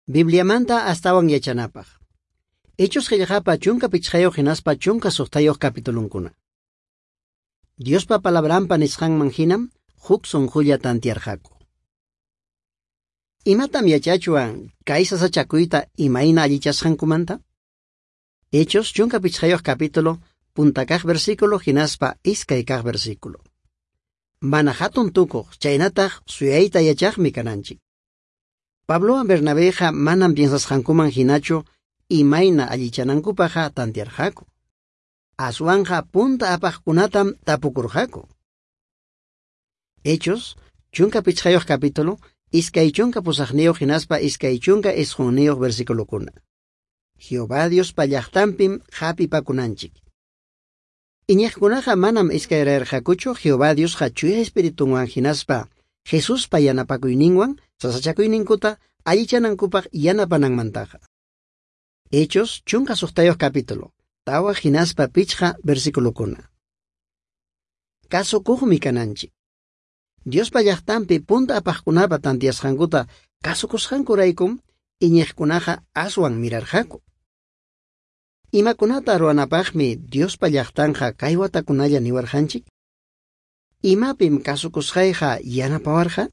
Bibliamanta astawan yachanapaq. Hechos qillqapa 15 hinaspa 16 capitulunkuna. Diospa palabranpa nisqanman hinam huk sunqulla tantiarqaku. Imatam yachachwan kay sasachakuyta imayna allichasqankumanta? Hechos 15 capítulo, punta kaq versículo hinaspa iskay kaq versículo. Mana hatun tukuq chaynataq suyayta yachaqmi kananchik. Pablowan Bernabéqa manam piensasqankuman hinachu imayna allichanankupaqqa tantiarqaku. Aswanqa punta apaqkunatam tapukurqaku. Hechos 15 capítulo, 28 hinaspa 29 versiculokuna. Jehová Diospa llaqtanpim hapipakunanchik. Iñiqkunaqa manam iskayrayarqakuchu Jehová Diosqa Chuya Espiritunwan hinaspa Jesuspa yanapakuyninwan sasachakuyninkuta allichanankupaq yanapananmantaqa. Hechos 16 capítulo, 4 hinaspa 5 versiculokuna. Kasukuqmi kananchik. Diospa llaqtanpi punta apaqkunapa tantiasqankuta kasukusqankuraykum iñiqkunaqa aswan mirarqaku. Imakunata ruwanapaqmi Diospa llaqtanqa kay watakunalla niwarqanchik? Imapim kasukusqayqa yanapawarqa?